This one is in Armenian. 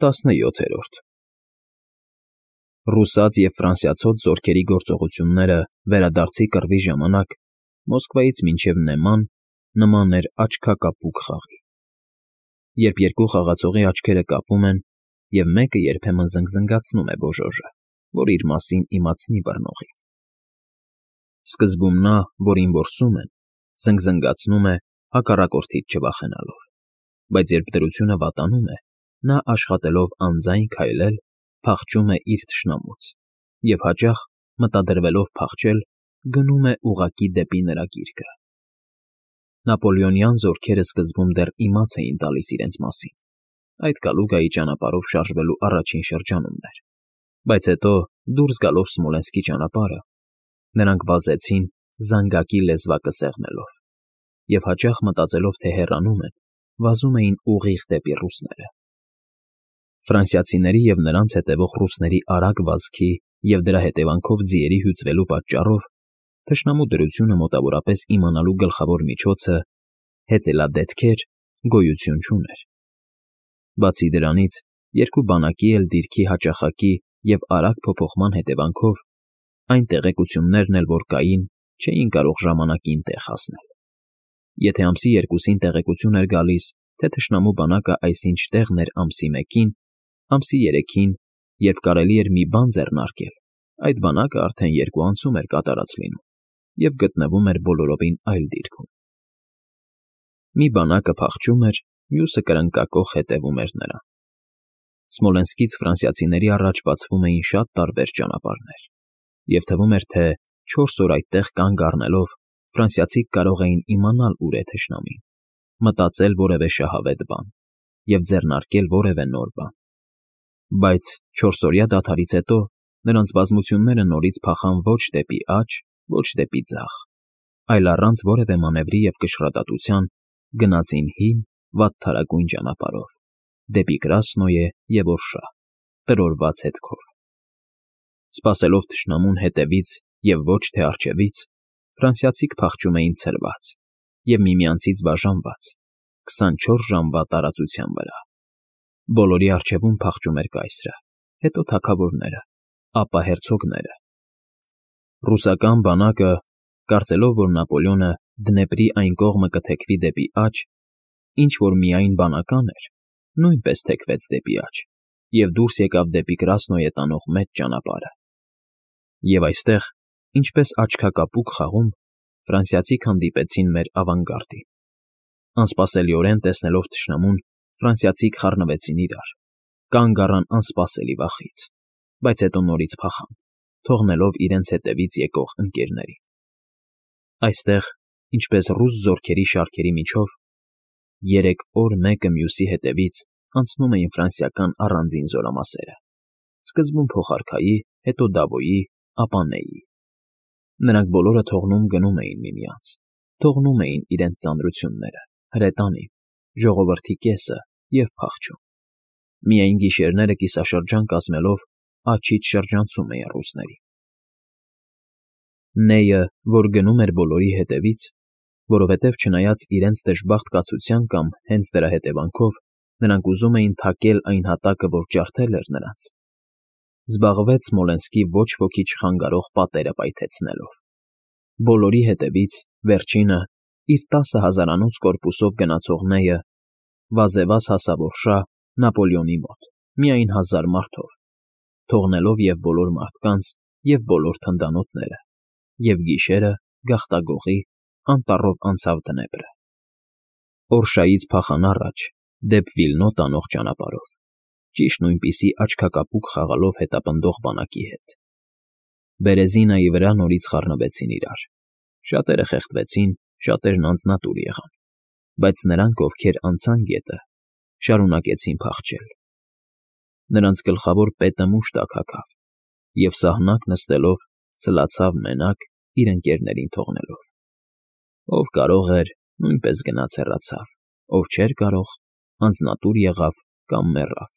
17 Ռուսաց և ֆրանսիացոց զորքերի գործողությունները վերադարձի կռվի ժամանակ Մոսկվայից մինչև Նեման նման էր աչքակապուկ խաղի, երբ երկու խաղացողի աչքերը կապում են, և մեկը երբեմն զնգզնգացնում է բոժոժը, որ իր մասին իմացնի բռնողին։ Սկզբում նա, որին որսում են, զնգզնգացնում է հակառակորդից չվախենալով, բայց երբ դրությունը վատանում է, նա աշխատելով անձայն քայլել, փախչում է իր թշնամուց և հաճախ, մտադրվելով փախչել, գնում է ուղղակի դեպի նրա գիրկը։ Նապոլեոնյան զորքերը սկզբում դեռ իմաց էին տալիս իրենց մասին, այդ Կալուգայի ճանապարհով շարժվելու առաջին շրջանումն էր, բայց հետո, դուրս գալով Սմոլենսկի ճանապարհը, նրանք վազեցին զանգակի լեզվակը սեղմելով, և հաճախ մտածելով, թե հեռանում են, վազում էին ուղիղ դեպի ռուսները։ Ֆրանսիացիների և նրանց հետևող ռուսների արագ վազքի և դրա հետևանքով ձիերի հյուծվելու պատճառով թշնամու դրությունը մոտավորապես իմանալու գլխավոր միջոցը հեծելադետքեր գոյություն չուներ։ Բացի դրանից, երկու բանակի էլ դիրքի հաճախակի և արագ փոփոխման հետևանքով այն տեղեկություններն էլ, որ կային, չէին կարող ժամանակին տեղ հասնել։ Եթե ամսի 2-ին տեղեկություն էր գալիս, թե թշնամու բանակը այսինչ տեղն էր ամսի 1-ին, ամսի 3-ին, երբ կարելի էր մի բան ձեռնարկել, այդ բանակը արդեն 2 ամսում էր կատարած լինում և գտնվում էր բոլորովին այլ դիրքում։ Մի բանակը փախչում էր, մյուսը կրնկակոխ հետևում էր նրան։ Սմոլենսկից ֆրանսիացիների առաջ բացվում էին շատ տարբեր ճանապարհներ, և թվում էր, թե 4 օր այդտեղ կանգ առնելով ֆրանսիացիք կարող էին իմանալ ուր է թշնամին, մտածել որևէ շահավետ բան և ձեռնարկել որևէ նոր բան։ Բայց 4-օրյա դադարից հետո նրանց բազմությունները նորից փախան ոչ դեպի աջ, ոչ դեպի ձախ, այլ առանց որևէ մանևրի և կշռադատության գնացին հին, վատթարագույն ճանապարհով, դեպի Կրասնոյե և Օրշա, տրորված հետքով։ Սպասելով թշնամուն հետևից և ոչ թե առջևից, ֆրանսիացիք փախչում էին ցրված և միմյանցից բաժանված 24 ժամվա տարածության վրա։ Բոլորի առջևում փախչում էր կայսրը, հետո թագավորները, ապա հերցոգները։ Ռուսական բանակը, կարծելով, որ Նապոլեոնը Դնեպրի այն կողմը կթեքվի դեպի աջ, ինչ որ միայն բանական էր, նույնպես թեքվեց դեպի աջ և դուրս եկավ դեպի Կրասնոյե տանող մեծ ճանապարհը։ Եվ այստեղ, ինչպես աչքակապուկ խաղում, ֆրանսիացիք հանդիպեցին մեր ավանգարդին։ Անսպասելիորեն տեսնելով թշնամուն, ֆրանսիացիք խառնվեցին իրար, կանգ առան անսպասելի վախից, բայց հետո նորից փախան, թողնելով իրենց հետևից եկող ընկերներին։ Այստեղ, ինչպես ռուս զորքերի շարքերի միջով, 3 օր մեկը մյուսի հետևից անցնում էին ֆրանսիական առանձին զորամասերը, սկզբում փոխարքայի, հետո Դավոյի, ապա Նեյի։ Նրանք բոլորը թողնում գնում էին միմյանց, թողնում էին իրենց ծանրությունները, հրետանին, ժողովրդի կեսը և փախչում։ Միայն գիշերները կիսաշրջան կազմելով աջից շրջանցում էին ռուսներին։ Նեյը, որ գնում էր բոլորի հետևից, որովհետև չնայած իրենց դժբախտ կացության կամ հենց դրա հետևանքով նրանք ուզում էին թակել այն հատակը, որ ջարդել էր նրանց, զբաղվեց Սմոլենսկի ոչ ոքի չխանգարող պատերը պայթեցնելով։ Բոլորի հետևից, վերջինը, իր 10 հազարանոց կորպուսով գնացող Նեյը վազևազ հասավ Օրշա Նապոլեոնի մոտ, միայն 1000 մարդով, թողնելով և բոլոր մարդկանց, և բոլոր թնդանոթները, և գիշերը, գաղտագողի, անտառով անցավ Դնեպրը։ Օրշայից փախան առաջ, դեպ Վիլնո տանող ճանապարհով, ճիշտ նույնպիսի աչքակապուկ խաղալով հետապնդող բանակի հետ։ Բերեզինայի վրա նորից խառնվեցին իրար, շատերը խեղդվեցին, շատերն անձնատուր եղան, բայց նրանք, ովքեր անցան գետը, շարունակեցին փախչել։ Նրանց գլխավոր պետը մուշտակ հագավ և սահնակ նստելով սլացավ մենակ, իր ընկերներին թողնելով։ Ով կարող էր, նույնպես գնաց հեռացավ, ով չէր կարող, անձնատուր եղավ կամ մեռավ։